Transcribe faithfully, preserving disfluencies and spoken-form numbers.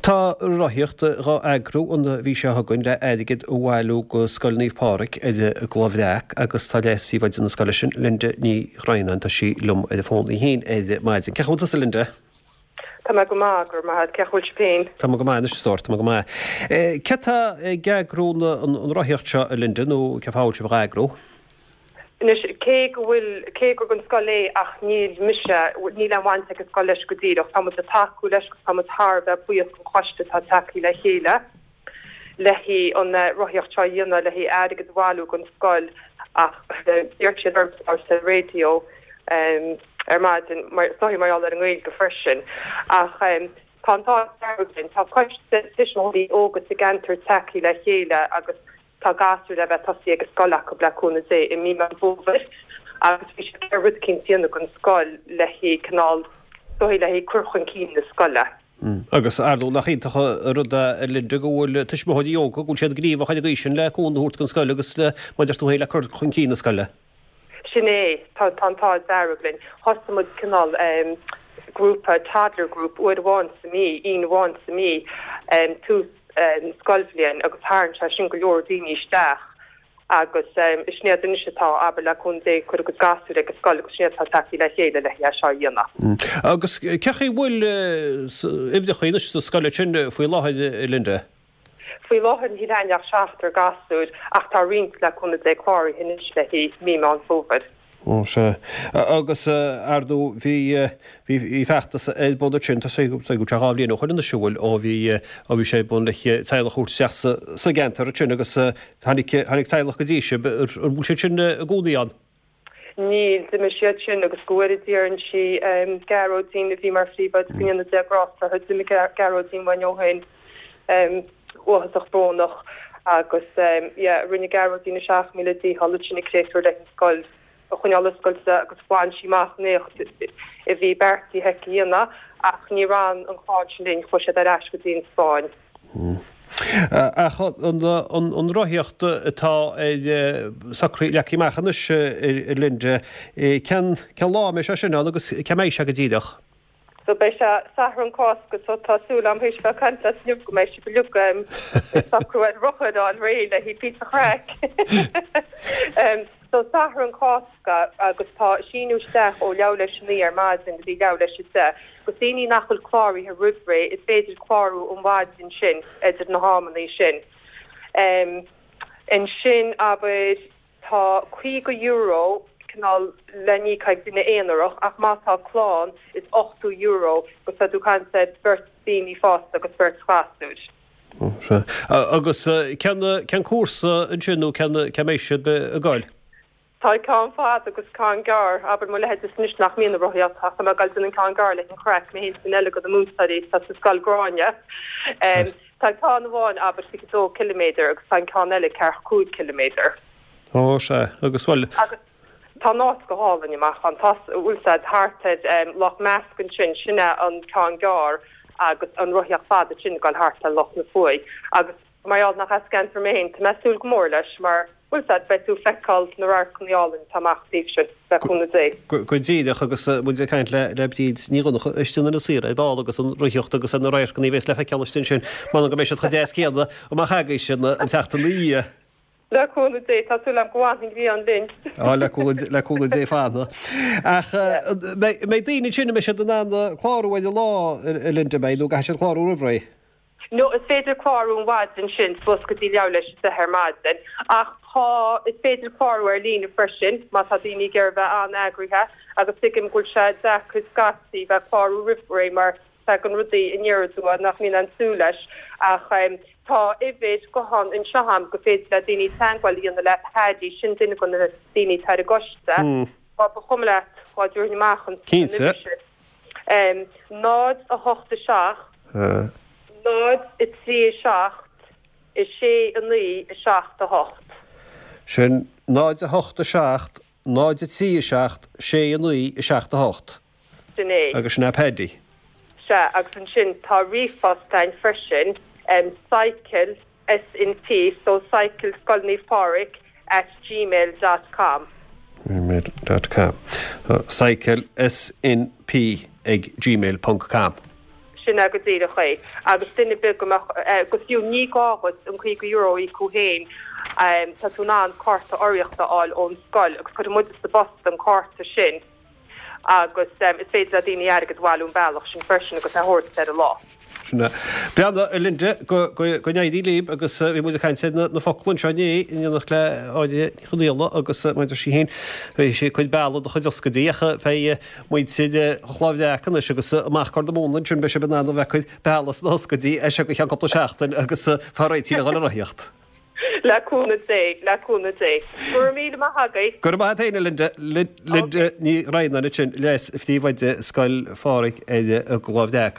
Tá rothaíocht dhá eagrú an mhí seo chugainn le airgead a bhailiú go Scoil Naomh Pádraig ar an gCloich Bhreac agus tá leas-phríomhoide na scoile sin, Linda Ní Dhroighneáin, tá sí liom ar an bhfón í féin ar maidin. Cén chaoi a bhfuil tusa, Linda? Tá mé go maith, go raibh maith agat. Cén chaoi a bhfuil sibh féin? Tá mé go maith anois, a stór, tá mé go maith. Cé atá ag eagrú an rothaíocht seo, a Linda, nó cén fáth a bhfuil sibh dhá eagrú? Anois, cé go bhfuil, cé gur don scoil é ach níl mise, níl aon bhaint ag an scoil leis go díreach. Tá muid ag tacú leis agus tá muid thar a bheith buíoch don choiste atá tagtha le chéile le haghaidh an rothaíocht seo a dhéanamh, le haghaidh airgead a bhailiú don scoil ach d'iarr siad orm labhairt ar an raidió ar maidin, mar, is dóigh mar gheall ar an nGaeilge freisin. Ach tá an t-ádh dearg linn, tá coiste tuismitheoirí óga sa gceantar tagtha le chéile agus Tá gasúir le bheith tosaithe ag an scoil acu le cúnamh Dé i mí Meán Fómhair agus bhí siad ag iarraidh rud eicínt a dhéanamh don scoil le haghaidh cineál, is dóigh le haghaidh cur chun cinn na scoile. Agus ar ndóigh nach iontach an rud é a Linda go bhfuil tuismitheoirí óga, go bhfuil siad gníomhach ar an gcaoi sin le cúnamh a thabhairt don scoil agus le, mar a deir tú féin, le cur chun cinn na scoile. Sin é, tá tá an t-ádh dearg linn. Thosaigh muid cineál grúpa, toddler group, uair amháin sa mhí, Aoine amháin sa mhí, tús scoilbhliain agus tharraing sé sin go leor daoine isteach agus is iad anois atá, abair, le cúnamh Dé, ag cur a gcuid gasúir ag an scoil agus sin iad atá tagtha le chéile le é seo a dhéanamh. Agus cén chaoi a bhfuil uimhreacha anois sa scoil sin faoi láthair, Linda? Faoi láthair níl againn ach seachtar gasúir ach tá roinnt, le cúnamh Dé, cláraithe anois le haghaidh mí Meán Fómhair. Ó, sea. Agus, ar ndóigh, bhí, bhí feachtas ar bun ansin, tá sé, tá sé dhá bhliain ó shoin anois, an bhfuil, ó bhí, ó bhí sé ar bun le teaghlach a thabhairt isteach sa, sa gceantar ansin agus tháinig, tháinig teaghlach go dtí sibh, an bhfuil siad sin i gcónaí ann? Níl, d'imigh siad sin agus go bhfóire Dia orainn sí Gearóidín a bhí mar phríomhoide, go ndéana Dia grásta uirthi, d'imigh Gearóidín uainn ó shin, uafásach brónach agus yeah rinne Gearóidín a seacht míle dícheall ansin an créatúr le an scoil a choinneáil oscailte agus bhain sí amach an éacht a bhí beartaithe aici a dhéanamh ach níor fhan an chlann sin linn, chuaigh siad ar ais go dtí an Spáinn. Ach an rothaíocht atá socraithe, leagtha amach anois, a Linda, cén lá a mbeidh sé sin ann agus cá mbeidh sé go díreach? So beidh sé Satharn Cásca so tá súil agam théis bheith ag caint leat inniu go mbeidh sibh uilig ag socrú ar rothair a fháil réidh le haghaidh píosa craic. So Satharn Cásca agus tá síniú isteach ó leathuair théis a naoi ar maidin go dtí leathuair théis a deich. Agus daoine nach bhfuil cláraithe roimh ré, is féidir clárú an mhaidin sin idir na hamannaí sin. Ansin, abair, tá caoga euro cineál le n-íoc ag duine aonarach ach má tá clann is ochtó euro agus tá tú ag caint ar bheirt daoine fásta agus beirt ghasúir. Sea. Agus cén cén cúrsa ansin nó cén cá mbeidh siad ag goil? Tá ceann fada agus ceann gearr, abair mo leithéidse anois nach mbíonn ag rothaíocht ach tá mé ag goil déanamh an ceann gearr le an chraic, mé féin is duine eile de na múinteoirí atá sa scoil Gráinne. Tá ceann amháin, abair, fiche dó ciliméadar agus tá an ceann eile ceathracha cúig ciliméadar. Ó, sea, agus bhuel. Agus tá an áit go hálainn amach ann, tá, bhfuil 's a'd, thart ar Loch Measc ansin, sin é an ceann gearr agus an rothaíocht fada sin ag goil thart ar Loch na Fuaighe agus mar gheall nach as an gceantar mé féin, tá mé ag súil go mór leis mar, bhfuil 's a'd, beidh tú ag feiceáil na radharcanna álainn atá amach taobh sin, le cúnamh Dé. Go díreach, agus muid ag caint le Bríd Ní Dhonncha istigh in Inis Oírr ar ball agus an rothaíocht agus ar na radharcanna a bheas le feiceáil istigh ansin, m'anam go mbeidh siad chomh deas céanna amach agaibhse an tseachtain ina dhiaidh. Le cúnamh Dé, tá súil agam go bhfanfaidh an ghrian linn. Á, le cúnamh, le cúnamh Dé fanfaidh. Ach mbeidh daoine ansin, an mbeidh siad in ann clárú ar an lá, a Linda, mbeidh, nó an gcaithfidh siad clárú roimh ré? No, is féidir clárú an mhaidin sin, suas go dtí leathuair théis a deich ar maidin. Ach tá, is féidir clárú ar líne freisin, má tá daoine ag iarraidh bheith an-eagraithe, agus tuigim go bhfuil sé deacair scaití bheith ag clárú roimh ré mar tagann rudaí aniar aduaidh nach mbíonn aon súil leis. Ach tá uimhir gutháin anseo agam go féidir le daoine teagmháil a dhéanamh le Paddy, sin duine de na daoine atá ar an gcoiste. Má ba chuma leat, dhá dtabharfainn amach an uimhir sin. náid a hocht a seacht, náid a trí a seacht, a sé a naoi, a seacht a hocht. Sin náid a hocht a seacht, náid a trí a seacht, sé a naoi, a seacht a hocht. Sin é. Agus sin é Paddy. Sea, agus ansin tá ríomhphost againn freisin, cycle SNP, so cycle Scoil Naomh Pádraig at gmail dot com. gmail dot com. Cycle SNP ag gmail ponc com. Sin é go díreach é. Agus duine ar bith go mbeadh, agus fiú ní gá dhuit an caoga euro a íoc thú féin, tá tú in ann cárta urraíochta a fháil ón scoil agus cuirfidh muide sa bpost an cárta sin agus is féidir le daoine airgead a bhailiú an bealach sin freisin agus é a thabhairt ar an lá. Sin é. Breathnaigh, a Linda, go n-éirí libh agus bhí muid ag caint ar na focla anseo inné in éineacht le Áine Ní Chonaola agus mar a deir sí féin, bhí sí ag cur bealaigh do chuid ioscaidí ach beidh muintir An Chláir Bhreac anois agus amach Corr na Móna ansin beidh sibh in ann a bheith ag cur bealaigh sna hioscaidí as seo go ceann cúpla seachtain agus fá réitigh le dhul ar rothaíocht. Le cúnamh Dé, le cúnamh Dé. Go raibh míle maith agaibh. Go raibh maith agat féin, a Linda. Linda Ní Dhroighneáin ansin, leas-phríomhoide Scoil Phádraig ar an gClár Bhreac.